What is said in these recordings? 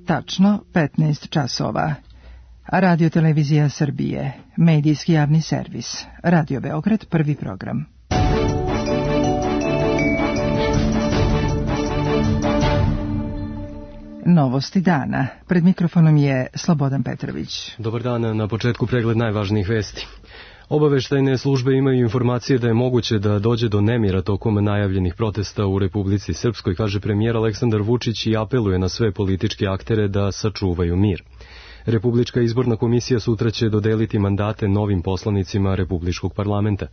Tačno 15 časova. Radio Televizija Srbije, medijski javni servis, Radio Beograd, prvi program. Novosti dana. Pred mikrofonom je Slobodan Petrović. Dobar dan, na početku pregled najvažnijih vesti. Obaveštajne službe imaju informacije da je moguće da dođe do nemira tokom najavljenih protesta u Republici Srpskoj, kaže premijer Aleksandar Vučić i apeluje na sve političke aktere da sačuvaju mir. Republička izborna komisija sutra će dodeliti mandate novim poslanicima Republičkog parlamenta.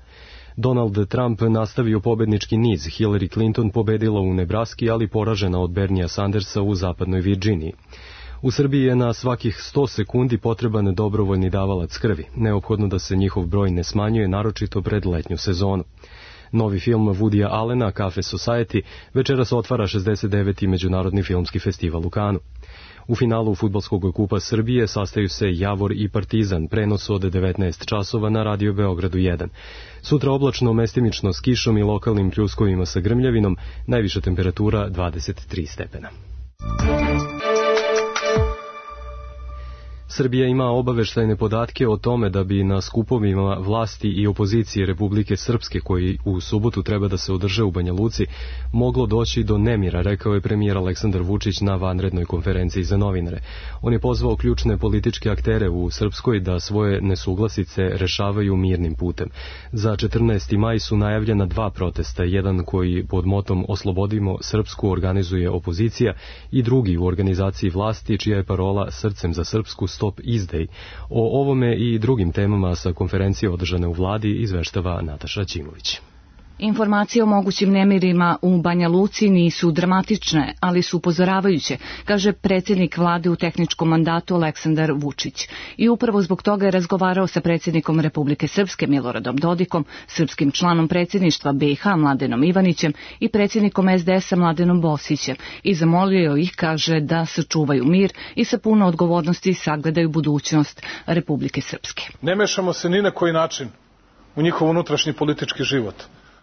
Donald Trump nastavio pobednički niz. Hillary Clinton pobedila u Nebraski, ali poražena od Bernija Sandersa u zapadnoj Virđiniji. U Srbiji je na svakih 100 sekundi potreban dobrovoljni davalac krvi. Neophodno da se njihov broj ne smanjuje, naročito pred letnju sezonu. Novi film Woodya Allena, Cafe Society, večeras otvara 69. Međunarodni filmski festival u Kanu. U finalu Fudbalskog kupa Srbije sastaju se Javor i Partizan, prenos od 19 časova na Radio Beogradu 1. Sutra oblačno, mestimično s kišom i lokalnim pljuskovima sa grmljavinom, najviša temperatura 23 stepena. Srbija ima obaveštajne podatke o tome da bi na skupovima vlasti i opozicije Republike Srpske, koji u subotu treba da se održe u Banja Luci, moglo doći do nemira, rekao je premijer Aleksandar Vučić na vanrednoj konferenciji za novinare. On je pozvao ključne političke aktere u Srpskoj da svoje nesuglasice rešavaju mirnim putem. Za 14. maj su najavljena 2 protesta, jedan koji pod motom Oslobodimo Srpsku organizuje opozicija i drugi u organizaciji vlasti, čija je parola Srcem za Srpsku, Stop izdej. O ovome i drugim temama sa konferencije održane u vladi izveštava Nataša Ćimović. Informacije o mogućim nemirima u Banja Luci nisu dramatične, ali su upozoravajuće, kaže predsjednik vlade u tehničkom mandatu Aleksandar Vučić. I upravo zbog toga je razgovarao sa predsjednikom Republike Srpske Miloradom Dodikom, srpskim članom predsjedništva BiH Mladenom Ivanićem i predsjednikom SDS-a Mladenom Bosićem i zamolio ih, kaže, da sačuvaju mir i sa puno odgovornosti sagledaju budućnost Republike Srpske. Ne mešamo se ni na koji način u njihov unutrašnji politički život.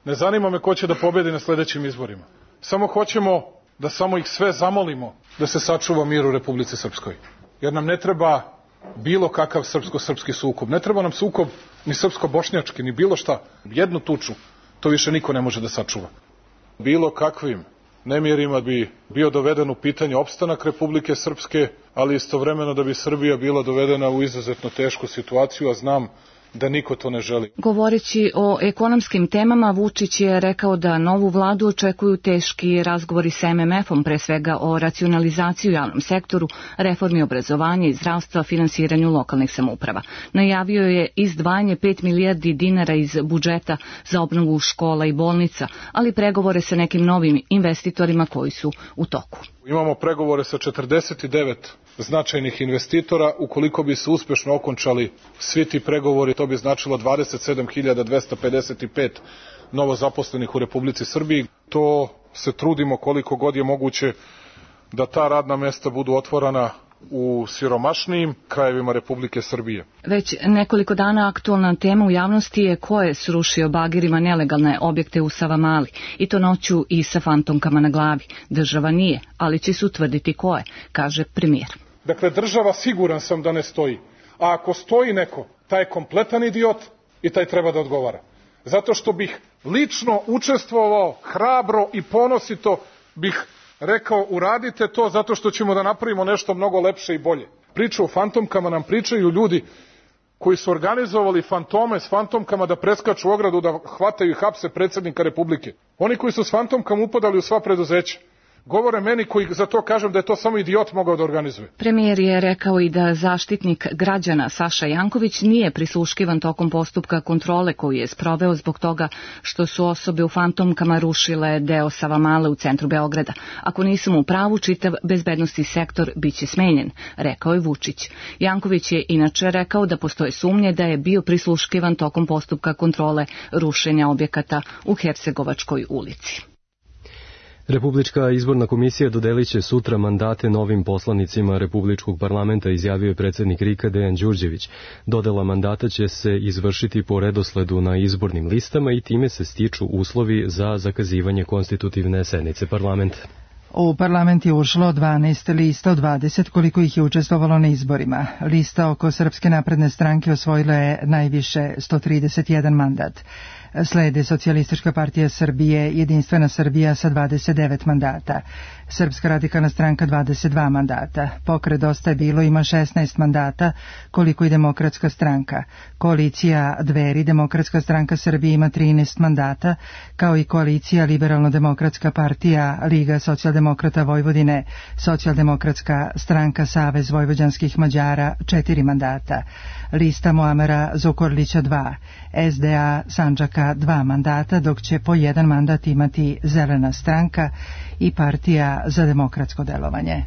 Ne zanima me ko će da pobedi na sljedećim izborima. Samo hoćemo da samo ih sve zamolimo da se sačuva mir u Republici Srpskoj. Jer nam ne treba bilo kakav srpsko-srpski sukob. Ne treba nam sukob ni srpsko-bošnjački, ni bilo šta. Jednu tuču, to više niko ne može da sačuva. Bilo kakvim nemirima bi bio doveden u pitanje opstanak Republike Srpske, ali istovremeno da bi Srbija bila dovedena u izuzetno tešku situaciju, a znam da niko to ne želi. Govoreći o ekonomskim temama, Vučić je rekao da novu vladu očekuju teški razgovori sa MMF-om, pre svega o racionalizaciji u javnom sektoru, reformi obrazovanja i zdravstva, finansiranju lokalnih samouprava. Najavio je izdvajanje 5 milijardi dinara iz budžeta za obnovu škola i bolnica, ali pregovore sa nekim novim investitorima koji su u toku. Imamo pregovore sa 49 značajnih investitora. Ukoliko bi se uspešno okončali svi ti pregovori, to bi značilo 27.255 novozaposlenih u Republici Srbiji. To se trudimo koliko god je moguće da ta radna mesta budu otvorena u siromašnijim krajevima Republike Srbije. Već nekoliko dana aktualna tema u javnosti je ko je srušio bagirima nelegalne objekte u Savamali, i to noću i sa fantomkama na glavi. Država nije, ali će se utvrditi ko je, kaže premijer. Dakle, država siguran sam da ne stoji. A ako stoji neko, taj je kompletan idiot i taj treba da odgovara. Zato što bih lično učestvovao, hrabro i ponosito bih rekao uradite to zato što ćemo da napravimo nešto mnogo lepše i bolje. Priču o fantomkama nam pričaju ljudi koji su organizovali fantome s fantomkama da preskaču ogradu, da hvataju i hapse predsjednika Republike. Oni koji su s fantomkama upadali u sva preduzeća. Govore meni koji za to kažem da je to samo idiot mogao da organizuje. Premijer je rekao i da zaštitnik građana Saša Janković nije prisluškivan tokom postupka kontrole koju je sproveo zbog toga što su osobe u fantomkama rušile deo Savamale u centru Beograda. Ako nisam u pravu, čitav bezbednosni sektor biće smenjen, rekao je Vučić. Janković je inače rekao da postoje sumnje da je bio prisluškivan tokom postupka kontrole rušenja objekata u Hercegovačkoj ulici. Republička izborna komisija dodelit će sutra mandate novim poslanicima Republičkog parlamenta, izjavio je predsjednik RIK-a Dejan Đurđević. Dodela mandata će se izvršiti po redosledu na izbornim listama i time se stiču uslovi za zakazivanje konstitutivne sednice parlamenta. U parlament je ušlo 12 lista od 20 koliko ih je učestvovalo na izborima. Lista oko Srpske napredne stranke osvojila je najviše 131 mandat. Slede Socijalistička partija Srbije, Jedinstvena Srbija sa 29 mandata, Srpska radikalna stranka 22 mandata, Pokret Dosta je bilo ima 16 mandata, koliko i Demokratska stranka. Koalicija Dveri, Demokratska stranka Srbije ima 13 mandata, kao i koalicija Liberalno-demokratska partija, Liga socijaldemokrata Vojvodine, Socijaldemokratska stranka Savez vojvođanskih Mađara 4 mandata, lista Muamera Zukorlića 2, SDA Sandžaka 2 mandata, dok će po 1 mandat imati Zelena stranka i Partija za demokratsko delovanje.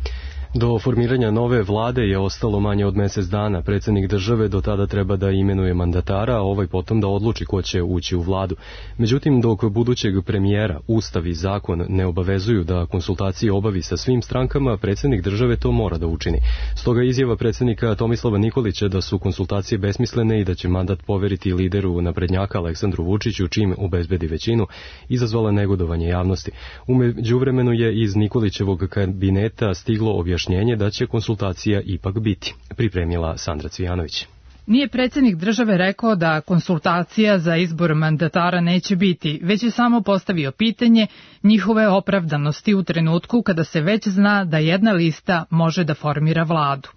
Do formiranja nove vlade je ostalo manje od mjesec dana. Predsjednik države do tada treba da imenuje mandatara, a ovaj potom da odluči ko će ući u vladu. Međutim, dok budućeg premijera Ustav i zakon ne obavezuju da konsultacije obavi sa svim strankama, predsjednik države to mora da učini. Stoga izjava predsjednika Tomislava Nikolića da su konsultacije besmislene i da će mandat poveriti lideru naprednjaka Aleksandru Vučiću čim obezbedi većinu, izazvala negodovanje javnosti. U međuvremenu je iz Nikolićevog kabineta stiglo objašnjenje da će konsultacija ipak biti, pripremila Sandra Cvijanović. Nije predsjednik države rekao da konsultacija za izbor mandatara neće biti, već je samo postavio pitanje njihove opravdanosti u trenutku kada se već zna da jedna lista može da formira vladu.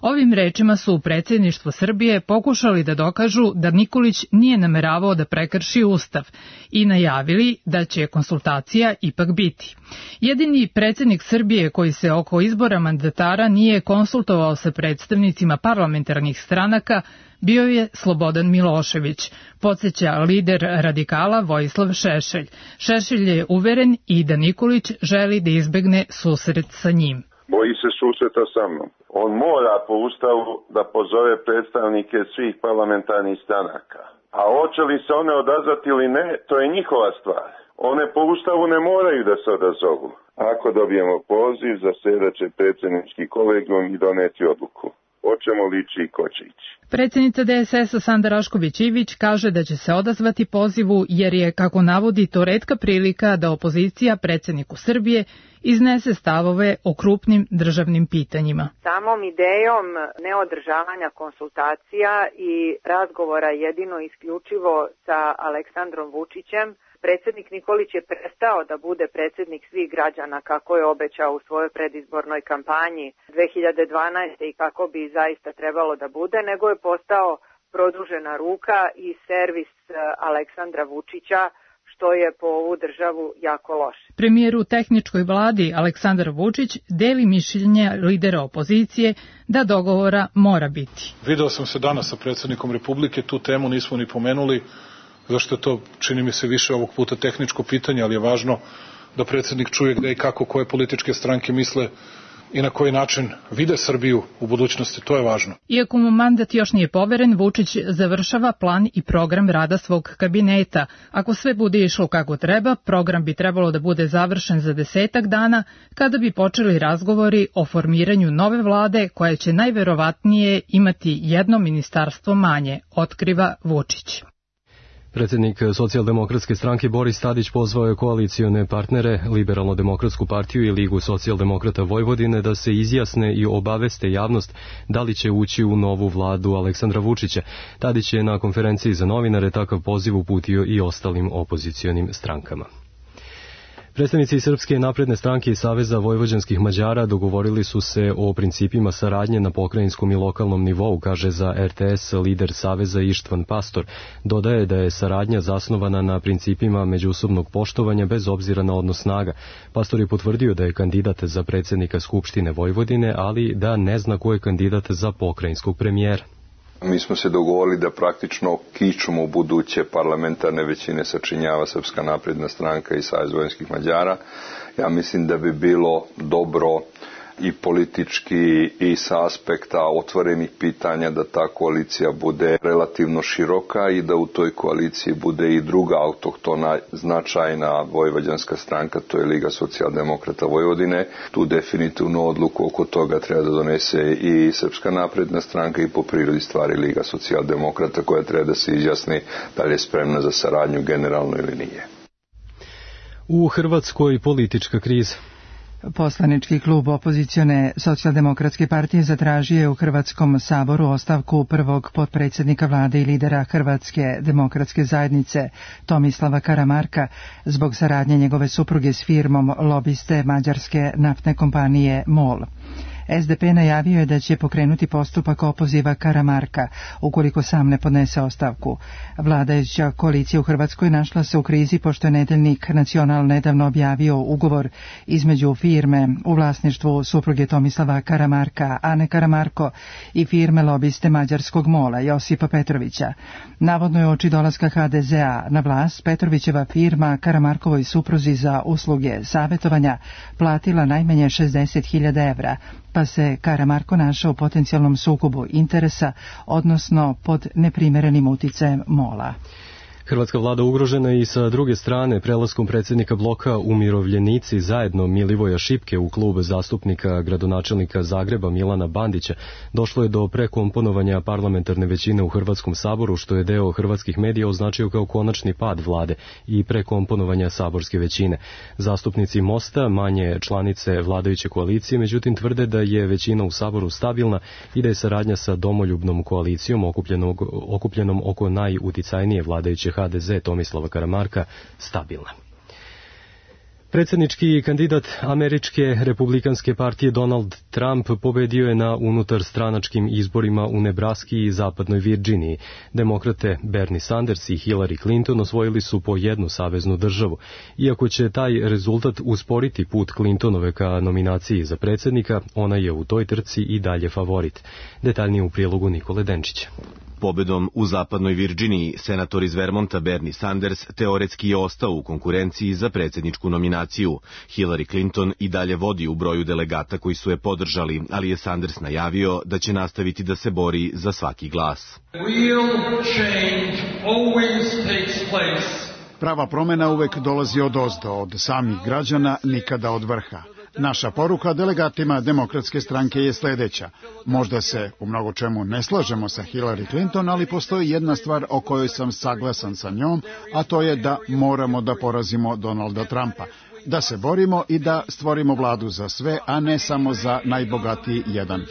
Ovim rečima su u predsjedništvu Srbije pokušali da dokažu da Nikolić nije nameravao da prekrši Ustav i najavili da će konsultacija ipak biti. Jedini predsjednik Srbije koji se oko izbora mandatara nije konsultovao sa predstavnicima parlamentarnih stranaka bio je Slobodan Milošević, podsjeća lider radikala Vojislav Šešelj. Šešelj je uveren i da Nikolić želi da izbegne susret sa njim. Boji se susreta sa mnom. On mora po Ustavu da pozove predstavnike svih parlamentarnih stranaka. A hoće li se one odazvati ili ne, to je njihova stvar. One po Ustavu ne moraju da se odazovu. Ako dobijemo poziv, zasedat će predsjednički kolegijum i doneti odluku. Hoćemo li ići i ko će ići. Predsjednica DSS-a Sanda Rašković-Ivić kaže da će se odazvati pozivu jer je, kako navodi, to retka prilika da opozicija predsjedniku Srbije iznese stavove o krupnim državnim pitanjima. Samom idejom neodržavanja konsultacija i razgovora jedino isključivo sa Aleksandrom Vučićem, predsjednik Nikolić je prestao da bude predsjednik svih građana kako je obećao u svojoj predizbornoj kampanji 2012. i kako bi zaista trebalo da bude, nego je postao produžena ruka i servis Aleksandra Vučića, što je po ovu državu jako loše. Premijer u tehničkoj vladi Aleksandar Vučić deli mišljenje lidera opozicije da dogovora mora biti. Video sam se danas sa predsjednikom Republike, tu temu nismo ni pomenuli, zašto je to, čini mi se, više ovog puta tehničko pitanje, ali je važno da predsjednik čuje gde i kako koje političke stranke misle i na koji način vide Srbiju u budućnosti, to je važno. Iako mu mandat još nije poveren, Vučić završava plan i program rada svog kabineta. Ako sve bude išlo kako treba, program bi trebalo da bude završen za 10 dana, kada bi počeli razgovori o formiranju nove vlade koja će najverovatnije imati jedno ministarstvo manje, otkriva Vučić. Predsjednik Socijaldemokratske stranke Boris Tadić pozvao je koalicione partnere, Liberalno-demokratsku partiju i Ligu socijaldemokrata Vojvodine da se izjasne i obaveste javnost da li će ući u novu vladu Aleksandra Vučića. Tadić je na konferenciji za novinare takav poziv uputio i ostalim opozicionim strankama. Predstavnici Srpske napredne stranke i Saveza vojvođanskih Mađara dogovorili su se o principima saradnje na pokrajinskom i lokalnom nivou, kaže za RTS lider Saveza Ištvan Pastor. Dodaje da je saradnja zasnovana na principima međusobnog poštovanja bez obzira na odnos snaga. Pastor je potvrdio da je kandidat za predsjednika Skupštine Vojvodine, ali da ne zna ko je kandidat za pokrajinskog premijera. Mi smo se dogovorili da praktično kičmu buduće parlamentarne većine sačinjava Srpska napredna stranka i Savez vojvođanskih Mađara. Ja mislim da bi bilo dobro i politički i sa aspekta otvorenih pitanja da ta koalicija bude relativno široka i da u toj koaliciji bude i druga autohtona značajna vojvođanska stranka, to je Liga socijaldemokrata Vojvodine. Tu definitivno odluku oko toga treba da donese i Srpska napredna stranka i po prirodi stvari Liga socijaldemokrata koja treba da se izjasni da li je spremna za saradnju generalno ili nije. U Hrvatskoj politička kriza. Poslanički klub opozicione Socijaldemokratske partije zatražio je u Hrvatskom saboru ostavku prvog potpredsjednika vlade i lidera Hrvatske demokratske zajednice Tomislava Karamarka zbog saradnje njegove supruge s firmom lobiste mađarske naftne kompanije MOL. SDP najavio je da će pokrenuti postupak opoziva Karamarka ukoliko sam ne podnese ostavku. Vladajuća koalicija u Hrvatskoj našla se u krizi pošto je nedeljnik Nacional nedavno objavio ugovor između firme u vlasništvu supruge Tomislava Karamarka, Ane Karamarko, i firme lobiste mađarskog MOL-a Josipa Petrovića. Navodno je uoči dolaska HDZ-a na vlast Petrovićeva firma Karamarkovoj supruzi za usluge savjetovanja platila najmanje 60.000 evra, pa se Karamarko našao u potencijalnom sukobu interesa, odnosno pod neprimerenim uticajem MOL-a. Hrvatska vlada ugrožena i sa druge strane prelaskom predsjednika bloka Umirovljenici zajedno Milivoja Šipke u klub zastupnika gradonačelnika Zagreba Milana Bandića došlo je do prekomponovanja parlamentarne većine u Hrvatskom saboru, što je deo hrvatskih medija označio kao konačni pad vlade i prekomponovanja saborske većine. Zastupnici Mosta, manje članice vladajuće koalicije, međutim tvrde da je većina u saboru stabilna i da je saradnja sa domoljubnom koalicijom okupljenom oko najuticajnije vladajuće HDZ Tomislava Karamarka stabilna. Predsjednički kandidat američke republikanske partije Donald Trump pobedio je na unutarstranačkim izborima u Nebraski i zapadnoj Virginiji. Demokrate Bernie Sanders i Hillary Clinton osvojili su po jednu saveznu državu. Iako će taj rezultat usporiti put Clintonove ka nominaciji za predsjednika, ona je u toj trci i dalje favorit. Detaljnije u prilogu Nikole Denčića. Pobedom u zapadnoj Virginiji, senator iz Vermonta Bernie Sanders teoretski je ostao u konkurenciji za predsjedničku nominaciju. Hillary Clinton i dalje vodi u broju delegata koji su je podržali, ali je Sanders najavio da će nastaviti da se bori za svaki glas. Prava promjena uvek dolazi odozdo, od samih građana, nikada od vrha. Naša poruka delegatima Demokratske stranke je sljedeća. Možda se u mnogo čemu ne slažemo sa Hillary Clinton, ali postoji jedna stvar o kojoj sam saglasan sa njom, a to je da moramo da porazimo Donalda Trumpa. Da se borimo i da stvorimo vladu za sve, a ne samo za najbogatiji 1%.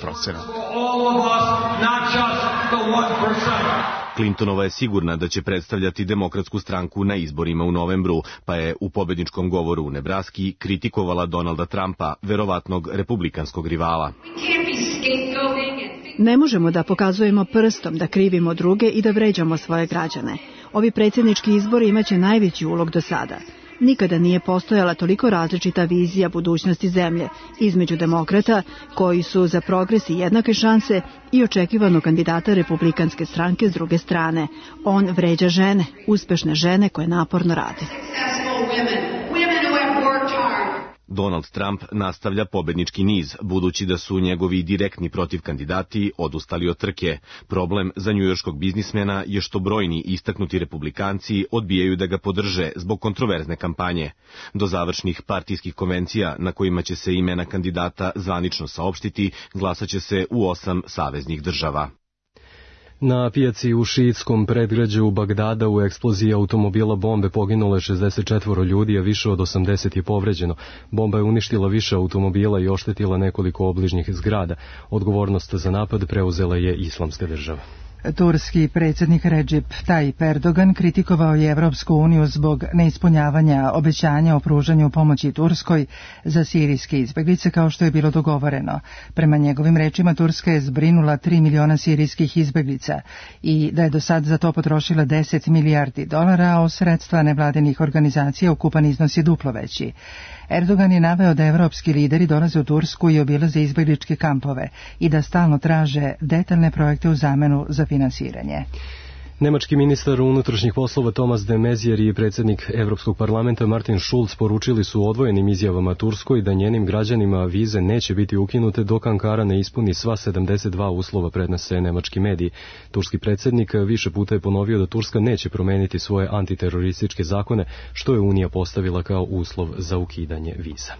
Clintonova je sigurna da će predstavljati Demokratsku stranku na izborima u novembru, pa je u pobedničkom govoru u Nebraski kritikovala Donalda Trumpa, verovatnog republikanskog rivala. Ne možemo da pokazujemo prstom, da krivimo druge i da vređamo svoje građane. Ovi predsjednički izbori imaće najveći ulog do sada. Nikada nije postojala toliko različita vizija budućnosti zemlje između demokrata, koji su za progres i jednake šanse, i očekivanog kandidata republikanske stranke s druge strane. On vređa žene, uspešne žene koje naporno rade. Donald Trump nastavlja pobednički niz, budući da su njegovi direktni protivkandidati odustali od trke. Problem za njujorškog biznismena je što brojni istaknuti republikanci odbijaju da ga podrže zbog kontroverzne kampanje. Do završnih partijskih konvencija, na kojima će se imena kandidata zvanično saopštiti, glasaće se u 8 saveznih država. Na pijaci u šiitskom predgrađu Bagdada u eksploziji automobila bombe poginulo je 64 ljudi, a više od 80 je povređeno. Bomba je uništila više automobila i oštetila nekoliko obližnjih zgrada. Odgovornost za napad preuzela je Islamska država. Turski predsjednik Recep Tayyip Erdogan kritikovao je Evropsku uniju zbog neispunjavanja obećanja o pružanju pomoći Turskoj za sirijske izbjeglice kao što je bilo dogovoreno. Prema njegovim rečima, Turska je zbrinula 3 miliona sirijskih izbjeglica i da je do sad za to potrošila 10 milijardi dolara, a od sredstva nevladinih organizacija ukupan iznos je duplo veći. Erdogan je naveo da evropski lideri dolaze u Tursku i obilaze izbjegličke kampove i da stalno traže detaljne projekte u zamenu za finansiranje. Nemački ministar unutrašnjih poslova Thomas de Maizière i predsjednik Evropskog parlamenta Martin Schulz poručili su odvojenim izjavama Turskoj da njenim građanima vize neće biti ukinute dok Ankara ne ispuni sva 72 uslova, prenose nemački mediji. Turski predsjednik više puta je ponovio da Turska neće promeniti svoje antiterorističke zakone, što je Unija postavila kao uslov za ukidanje viza.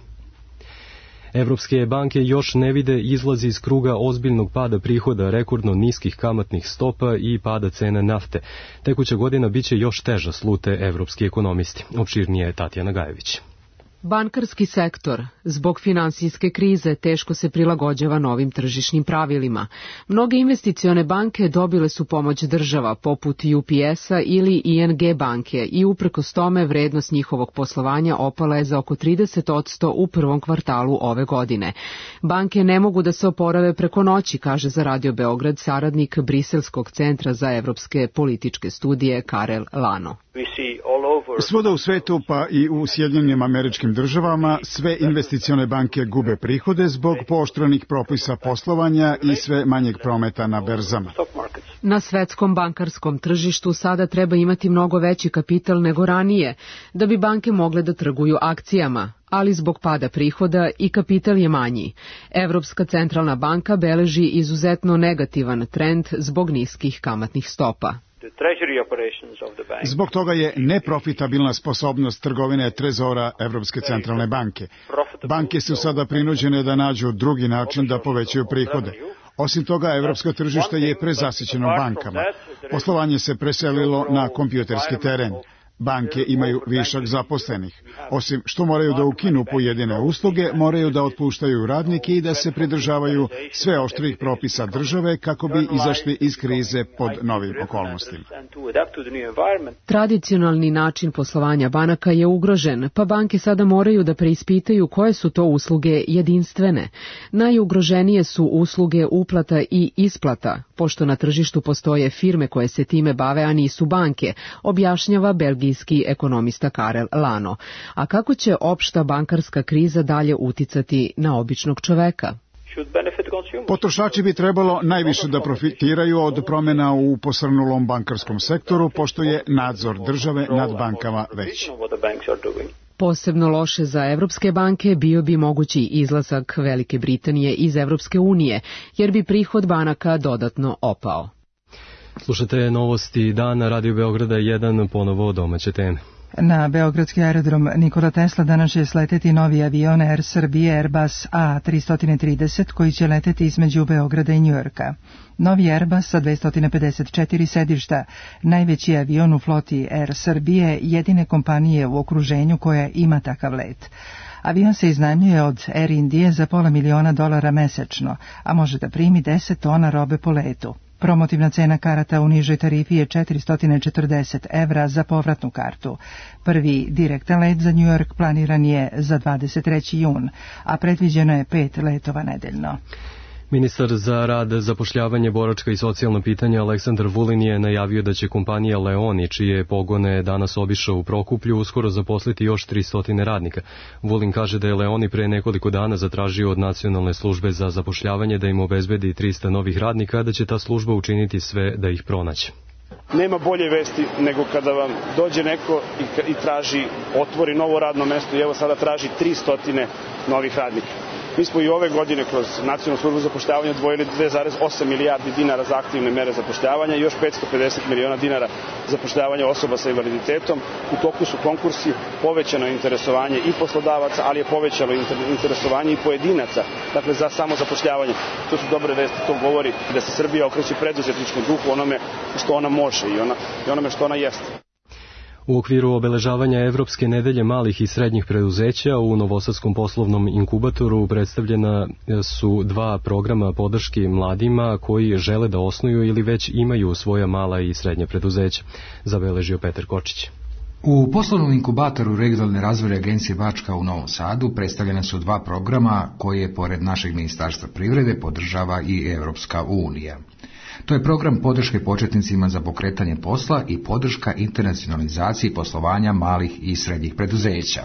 Evropske banke još ne vide izlazi iz kruga ozbiljnog pada prihoda, rekordno niskih kamatnih stopa i pada cene nafte. Tekuća godina biće još teža, slute evropski ekonomisti. Opširnije je Tatjana Gajević. Bankarski sektor zbog finansijske krize teško se prilagođava novim tržišnim pravilima. Mnoge investicione banke dobile su pomoć država poput UPS-a ili ING banke i uprkos tome vrednost njihovog poslovanja opala je za oko 30% u prvom kvartalu ove godine. Banke ne mogu da se oporave preko noći, kaže za Radio Beograd saradnik Briselskog centra za evropske političke studije Karel Lano. Svuda u svetu, pa i u Sjedinjenim Američkim Državama, sve investicione banke gube prihode zbog pooštrenih propisa poslovanja i sve manjeg prometa na berzama. Na svetskom bankarskom tržištu sada treba imati mnogo veći kapital nego ranije, da bi banke mogle da trguju akcijama, ali zbog pada prihoda i kapital je manji. Evropska centralna banka beleži izuzetno negativan trend zbog niskih kamatnih stopa. Zbog toga je neprofitabilna sposobnost trgovine trezora Evropske centralne banke. Banke su sada prinuđene da nađu drugi način da povećaju prihode. Osim toga, evropsko tržište je prezasićeno bankama. Poslovanje se preselilo na kompjuterski teren. Banke imaju višak zaposlenih. Osim što moraju da ukinu pojedine usluge, moraju da otpuštaju radnike i da se pridržavaju sve oštrih propisa države kako bi izašli iz krize pod novim okolnostima. Tradicionalni način poslovanja banaka je ugrožen, pa banke sada moraju da preispitaju koje su to usluge jedinstvene. Najugroženije su usluge uplata i isplata, pošto na tržištu postoje firme koje se time bave, a nisu banke, objašnjava belgijski ekonomista Karel Lano. A kako će opšta bankarska kriza dalje uticati na običnog čoveka? Potrošači bi trebalo najviše da profitiraju od promjena u posrnulom bankarskom sektoru, pošto je nadzor države nad bankama veći. Posebno loše za evropske banke bio bi mogući izlazak Velike Britanije iz Evropske unije, jer bi prihod banaka dodatno opao. Slušate novosti dana Radio Beograda 1, ponovo domaće teme. Na beogradski aerodrom Nikola Tesla danas će sleteti novi avion Air Srbije Airbus A330 koji će leteti između Beograda i Njujorka. Novi Airbus sa 254 sedišta, najveći avion u floti Air Srbije, jedine kompanije u okruženju koja ima takav let. Avion se iznajmljuje od Air Indije za $500.000 mesečno, a može da primi 10 tona robe po letu. Promotivna cena karata u nižoj tarifi je €440 za povratnu kartu. Prvi direktan let za New York planiran je za 23. jun, a predviđeno je 5 letova nedeljno. Ministar za rad, zapošljavanje, boračka i socijalna pitanja Aleksandar Vulin je najavio da će kompanija Leoni, čije pogone danas obišao u Prokuplju, uskoro zaposliti još 300 radnika. Vulin kaže da je Leoni pre nekoliko dana zatražio od Nacionalne službe za zapošljavanje da im obezbedi 300 novih radnika, da će ta služba učiniti sve da ih pronaće. Nema bolje vesti nego kada vam dođe neko i traži, otvori novo radno mesto i evo sada traži 300 novih radnika. Mi smo i ove godine kroz Nacionalnu službu za zapošljavanje odvojili 2,8 milijardi dinara za aktivne mere zapošljavanja i još 550 miliona dinara za zapošljavanje osoba sa invaliditetom. U toku su konkursi, povećano interesovanje i poslodavaca, ali je povećalo interesovanje i pojedinaca, dakle za samo zapošljavanje. To su dobre vesti, to govori da se Srbija okreće preduzetničkom duhu, onome što ona može i onome što ona jeste. U okviru obeležavanja Evropske nedelje malih i srednjih preduzeća u Novosadskom poslovnom inkubatoru predstavljena su 2 programa podrški mladima koji žele da osnuju ili već imaju svoja mala i srednja preduzeća, zabeležio Petar Kočić. U poslovnom inkubatoru regionalne razvojne agencije Bačka u Novom Sadu predstavljena su 2 programa koje, pored našeg Ministarstva privrede, podržava i Evropska unija. To je program podrške početnicima za pokretanje posla i podrška internacionalizaciji poslovanja malih i srednjih preduzeća.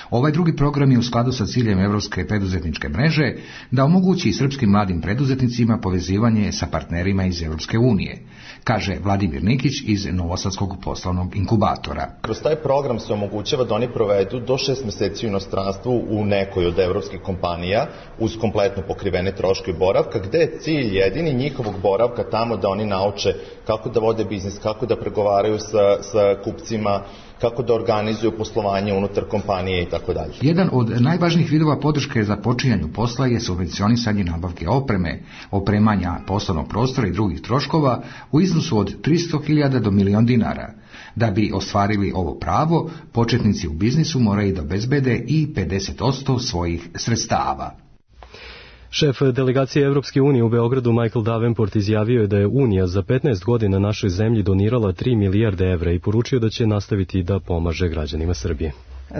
Ovaj drugi program je u skladu sa ciljem Evropske preduzetničke mreže da omogući srpskim mladim preduzetnicima povezivanje sa partnerima iz Evropske unije, kaže Vladimir Nikić iz Novosadskog poslovnog inkubatora. Kroz taj program se omogućava da oni provedu do 6 meseci u inostranstvu u nekoj od evropskih kompanija uz kompletno pokrivene troškove boravka, gde je cilj jedini njihovog boravka tamo da oni nauče kako da vode biznis, kako da pregovaraju sa kupcima, kako da organizuju poslovanje unutar kompanije i tako dalje. Jedan od najvažnijih vidova podrške za počinjanju posla je subvencionisanje nabavke opreme, opremanja poslovnog prostora i drugih troškova u iznosu od 300.000 do $1.000.000. Da bi ostvarili ovo pravo, početnici u biznisu moraju da obezbede i 50% svojih sredstava. Šef delegacije Evropske unije u Beogradu Michael Davenport izjavio je da je Unija za 15 godina našoj zemlji donirala 3 milijarde evra i poručio da će nastaviti da pomaže građanima Srbije.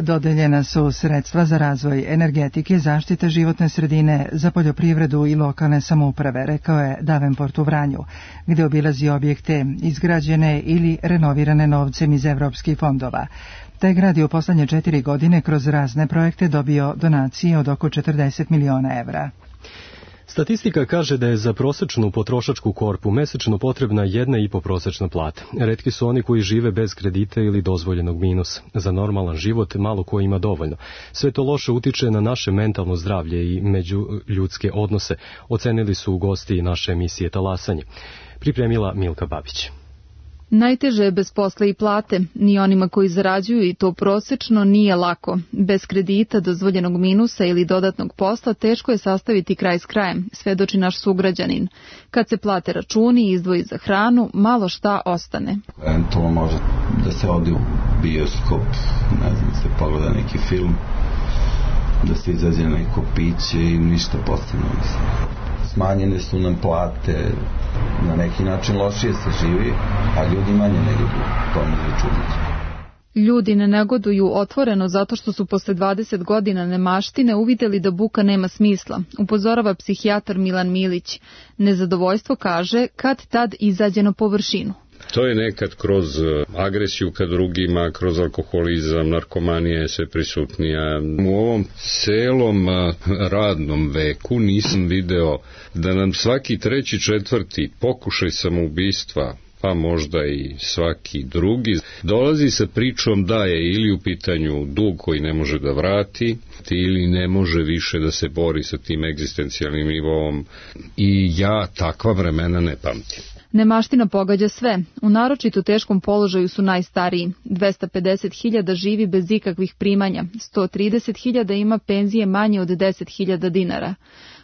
Dodeljena su sredstva za razvoj energetike, zaštite životne sredine, za poljoprivredu i lokalne samouprave, rekao je Davenport u Vranju, gde obilazi objekte izgrađene ili renovirane novcem iz evropskih fondova. Taj grad je u poslednje 4 godine kroz razne projekte dobio donacije od oko 40 miliona evra. Statistika kaže da je za prosečnu potrošačku korpu mesečno potrebna 1,5 prosečna plata. Retki su oni koji žive bez kredita ili dozvoljenog minusa. Za normalan život malo ko ima dovoljno. Sve to loše utiče na naše mentalno zdravlje i međuljudske odnose, ocenili su gosti naše emisije Talasanje. Pripremila Milka Babić. Najteže je bez posla i plate, ni onima koji zarađuju i to prosečno nije lako. Bez kredita, dozvoljenog minusa ili dodatnog posla teško je sastaviti kraj s krajem, svedoči naš sugrađanin. Kad se plate računi i izdvoji za hranu, malo šta ostane. Eventualno može da se odi u bioskop, ne znam, da se pogleda neki film, da se izađe na neko piće i ništa postane. Smanjene su nam plate, na neki način lošije se živi, a ljudi manje negoduju, to me začuditi. Ljudi ne negoduju otvoreno zato što su posle 20 godina nemaštine uvideli da buka nema smisla, upozorava psihijatar Milan Milić. Nezadovoljstvo, kaže, kad tad izađe na površinu. To je nekad kroz agresiju ka drugima, kroz alkoholizam, narkomanija je sve prisutnija. U ovom celom radnom veku nisam video da nam svaki 3., 4. pokušaj samoubistva, pa možda i svaki drugi, dolazi sa pričom da je ili u pitanju dug koji ne može da vrati, ili ne može više da se bori sa tim egzistencijalnim nivom, i ja takva vremena ne pamtim. Nemaština pogađa sve. U naročito teškom položaju su najstariji. 250.000 živi bez ikakvih primanja. 130.000 ima penzije manje od 10.000 dinara.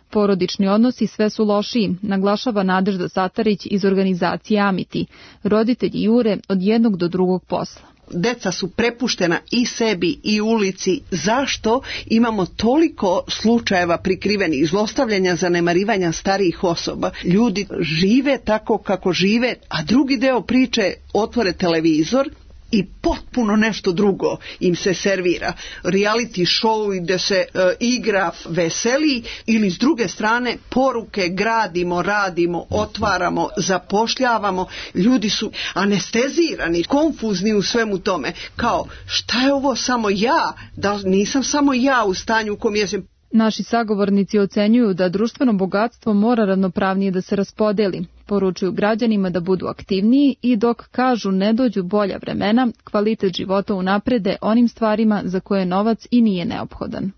Porodični odnosi sve su lošiji, naglašava Nadežda Satarić iz organizacije Amiti. Roditelji jure od jednog do drugog posla. Deca su prepuštena i sebi i ulici. Zašto imamo toliko slučajeva prikrivenih zlostavljanja, zanemarivanja starijih osoba? Ljudi žive tako kako žive, a drugi deo priče otvore televizor i potpuno nešto drugo im se servira. Reality show gde se igra veseli, ili s druge strane poruke gradimo, radimo, otvaramo, zapošljavamo. Ljudi su anestezirani, konfuzni u svemu tome. Kao, šta je ovo samo ja? Da nisam samo ja u stanju u kom jesam. Naši sagovornici ocenjuju da društveno bogatstvo mora ravnopravnije da se raspodeli. Poručuju građanima da budu aktivniji i dok kažu ne dođu bolja vremena, kvalitet života unaprede onim stvarima za koje novac i nije neophodan.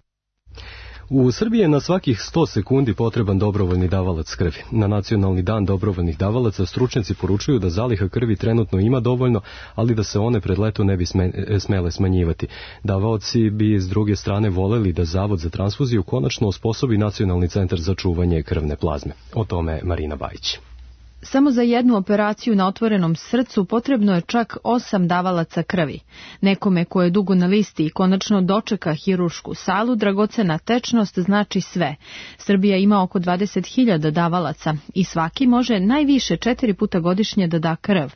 U Srbiji je na svakih 100 sekundi potreban dobrovoljni davalac krvi. Na Nacionalni dan dobrovoljnih davalaca stručnjaci poručuju da zaliha krvi trenutno ima dovoljno, ali da se one pred leto ne bi smele smanjivati. Davaoci bi s druge strane voleli da Zavod za transfuziju konačno osposobi Nacionalni centar za čuvanje krvne plazme. O tome Marina Bajić. Samo za jednu operaciju na otvorenom srcu potrebno je čak 8 davalaca krvi. Nekome ko je dugo na listi i konačno dočeka hirušku salu, dragocena tečnost znači sve. Srbija ima oko 20.000 davalaca i svaki može najviše 4 puta godišnje da da krv.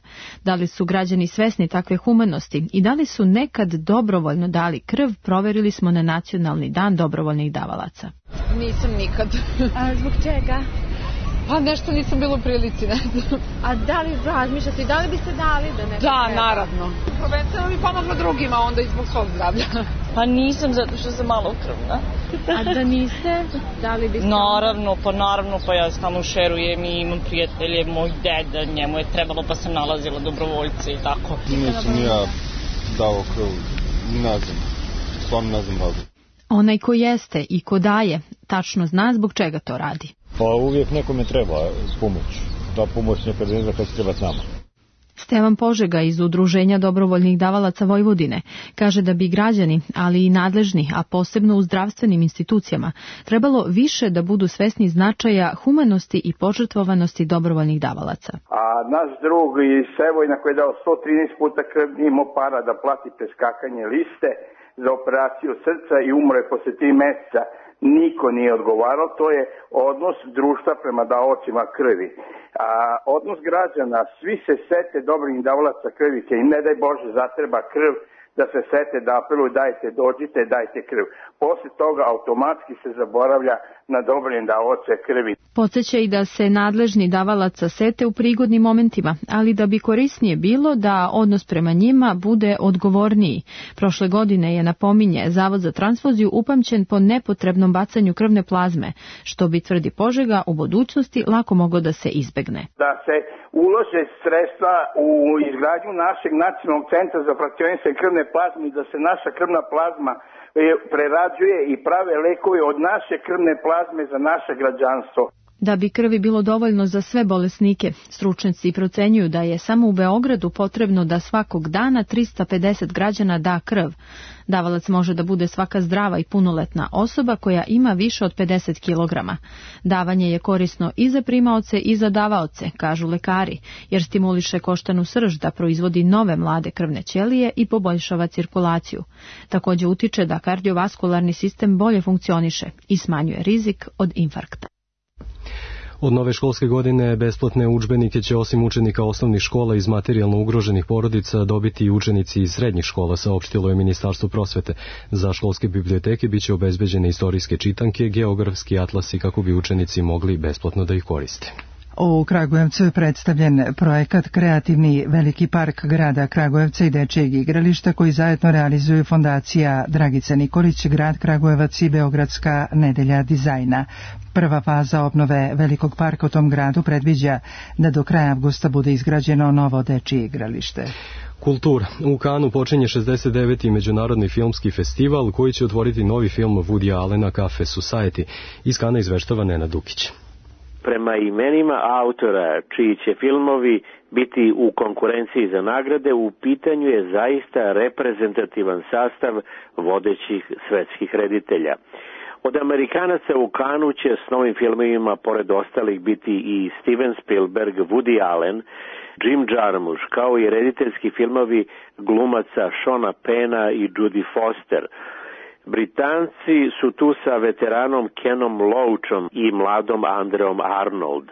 Da li su građani svesni takve humanosti i da li su nekad dobrovoljno dali krv, proverili smo na Nacionalni dan dobrovoljnih davalaca. Nisam nikad. A zbog čega? Pa nešto nisam bila u prilici, ne znam. A da li razmišljate, da li biste dali da neko Da, treba? naravno. Prvenstveno bi pomoglo drugima, onda i zbog svog zdravlja. Pa nisam, zato što sam malo krvna. A da niste, da li biste... Naravno, pa ja samo šerujem i imam prijatelje, moj deda, njemu je trebalo pa sam nalazila dobrovoljce i tako. Nisam ja dao krv, ne znam, stvarno ne znam razlog. Onaj ko jeste i ko daje, tačno zna zbog čega to radi. Pa uvijek nekome treba pomoć. Ta pomoć nekad ne zna kad se treba s nama. Stevan Požega iz Udruženja dobrovoljnih davalaca Vojvodine kaže da bi građani, ali i nadležni, a posebno u zdravstvenim institucijama, trebalo više da budu svesni značaja humanosti i požrtvovanosti dobrovoljnih davalaca. A naš drug iz Sevojna koji je dao 113 puta krv nije imao para da plati preskakanje liste za operaciju srca i umro je posle 3 meseca. Niko nije odgovarao, to je odnos društva prema davaocima krvi. A odnos građana, svi se sete dobrovoljnih davalaca krvi, im ne daj Bože zatreba krv, da se sete da apeluju dajte, dođite, dajte krv. Posle toga automatski se zaboravlja na dobrovoljne davaoce krvi. Podseća i da se nadležni davalaca sete u prigodnim momentima, ali da bi korisnije bilo da odnos prema njima bude odgovorniji. Prošle godine je, napominje, Zavod za transfuziju upamćen po nepotrebnom bacanju krvne plazme, što bi, tvrdi Požega, u budućnosti lako moglo da se izbegne. Da se ulože sredstva u izgradnju našeg nacionalnog centra za frakcionisanje krvne plazme i da se naša krvna plazma prerađuje i prave lekovi od naše krvne plazme za naše građanstvo. Da bi krvi bilo dovoljno za sve bolesnike, stručnjaci procenjuju da je samo u Beogradu potrebno da svakog dana 350 građana da krv. Davalac može da bude svaka zdrava i punoletna osoba koja ima više od 50 kg. Davanje je korisno i za primaoce i za davaoce, kažu lekari, jer stimuliše koštanu srž da proizvodi nove mlade krvne ćelije i poboljšava cirkulaciju. Također utiče da kardiovaskularni sistem bolje funkcioniše i smanjuje rizik od infarkta. Od nove školske godine besplatne udžbenike će osim učenika osnovnih škola iz materijalno ugroženih porodica dobiti i učenici iz srednjih škola, saopštilo je Ministarstvo prosvete. Za školske biblioteke biće obezbeđene istorijske čitanke, geografski atlasi kako bi učenici mogli besplatno da ih koriste. U Kragujevcu je predstavljen projekat Kreativni veliki park grada Kragujevca i dečijeg igrališta koji zajedno realizuju fondacija Dragica Nikolić, grad Kragujevac i Beogradska nedelja dizajna. Prva faza obnove velikog parka u tom gradu predviđa da do kraja avgusta bude izgrađeno novo dečije igralište. Kultura. U Kanu počinje 69. međunarodni filmski festival koji će otvoriti novi film Woody Allena Cafe Society. Iz Kana izveštava Nenad Dukić. Prema imenima autora čiji će filmovi biti u konkurenciji za nagrade, u pitanju je zaista reprezentativan sastav vodećih svetskih reditelja. Od Amerikanaca u Kanu će s novim filmovima, pored ostalih, biti i Steven Spielberg, Woody Allen, Jim Jarmusch, kao i rediteljski filmovi glumaca Seana Penna i Judy Foster. Britanci su tu sa veteranom Kenom Loachom i mladom Andreom Arnold.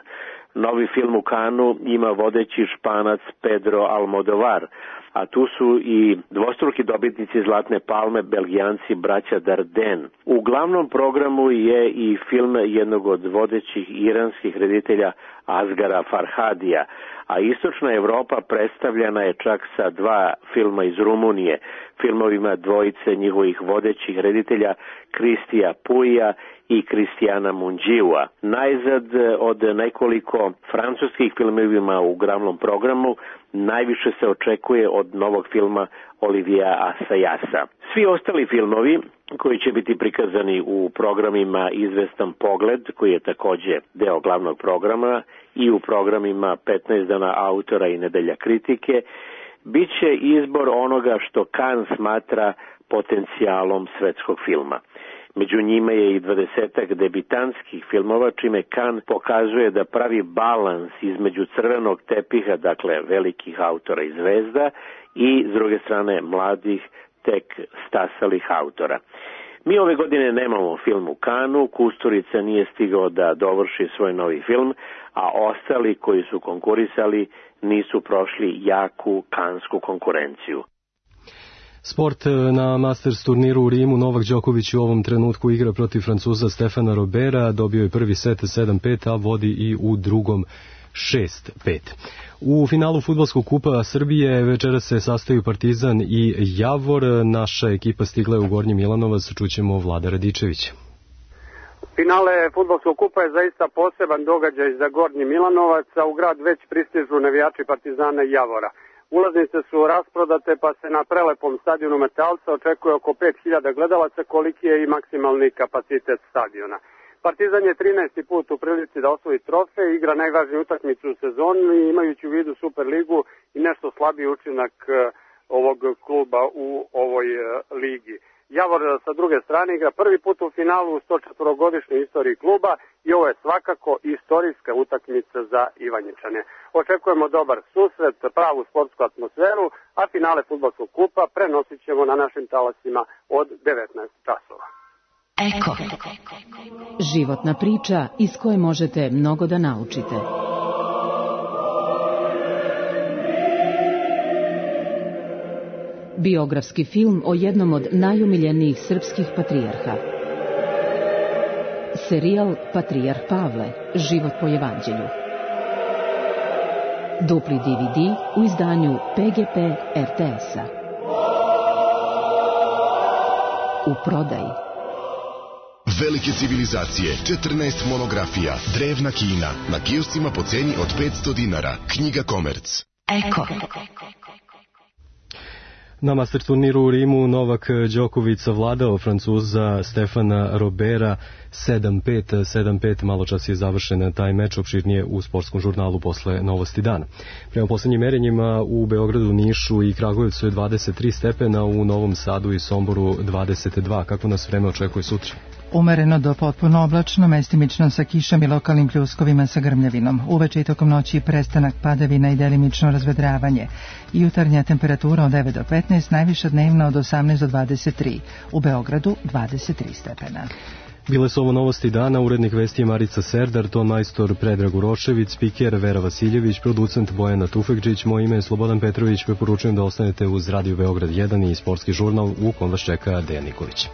Novi film u Kanu ima vodeći Španac Pedro Almodovar, a tu su i dvostruki dobitnici Zlatne palme, Belgijanci braća Dardenne. U glavnom programu je i film jednog od vodećih iranskih reditelja Asgara Farhadija, a istočna Evropa predstavljena je čak sa 2 filma iz Rumunije, filmovima dvojice njihovih vodećih reditelja Kristija Puija i Kristijana Munđiua. Najzad od nekoliko francuskih filmovima u glavnom programu najviše se očekuje od novog filma Olivia Assayasa. Svi ostali filmovi koji će biti prikazani u programima Izvestan pogled, koji je takođe deo glavnog programa, i u programima 15 dana autora i nedelja kritike, bit će izbor onoga što Cannes smatra potencijalom svetskog filma. Među njima je i 20 debitanskih filmova, čime Cannes pokazuje da pravi balans između crvenog tepiha, dakle velikih autora i zvezda, i s druge strane mladih, tek stasalih autora. Mi ove godine nemamo film u Kanu, Kusturica nije stigao da dovrši svoj novi film, a ostali koji su konkurisali nisu prošli jaku kansku konkurenciju. Sport. Na Masters turniru u Rimu Novak Đoković u ovom trenutku igra protiv Francuza Stefana Robera, dobio je prvi set 7-5, a vodi i u drugom 6-5. U finalu fudbalskog kupa Srbije večera se sastaju Partizan i Javor. Naša ekipa stigla je u Gornji Milanovac, čućemo Vlada Radičevića. Finale fudbalskog kupa je zaista poseban događaj za Gornji Milanovac, a u grad već pristižu navijači Partizana i Javora. Ulaznice su rasprodate, pa se na prelepom stadionu Metalca očekuje oko 5000 gledalaca, koliki je i maksimalni kapacitet stadiona. Partizan je 13. put u prilici da osvoji trofej, igra najvažniju utakmicu u sezoni, imajući u vidu Superligu i nešto slabiji učinak ovog kluba u ovoj ligi. Javor sa druge strane igra prvi put u finalu u 104-godišnjoj istoriji kluba i ovo je svakako istorijska utakmica za Ivanjičane. Očekujemo dobar susret, pravu sportsku atmosferu, a finale fudbalskog kupa prenosit ćemo na našim talasima od 19 časova. Eko. Životna priča iz koje možete mnogo da naučite. Biografski film o jednom od najumiljenijih srpskih patrijarha. Serijal Patrijarh Pavle, život po evanđelju. Dupli DVD u izdanju PGP RTS-a. U prodaji. Velike civilizacije, 14 monografija, drevna Kina, na kioscima po ceni od 500 dinara. Knjiga Komerc. Eko. Na master turniru u Rimu Novak Đoković savladao Francuza Stefana Robera 7-5, 7-5, malo čas je završen taj meč, opširnije u sportskom žurnalu posle Novosti dana. Prema poslednjim merenjima u Beogradu, Nišu i Kragujevcu je 23 stepena, u Novom Sadu i Somboru 22. Kako nas vreme očekuje sutra? Umereno do potpuno oblačno, mestimično sa kišom i lokalnim pljuskovima sa grmljavinom. Uveče i tokom noći prestanak padavina i delimično razvedravanje. Jutarnja temperatura od 9 do 15, najviša dnevna od 18 do 23. U Beogradu 23 stepena. Bile su ovo Novosti dana, urednik vesti je Marica Serdar, ton majstor Predrag Urošević, spiker Vera Vasiljević, producent Bojana Tufekđić, moje ime je Slobodan Petrović, preporučujem da ostanete uz Radio Beograd 1 i sportski žurnal u kom vas čeka Dejan Nikolić.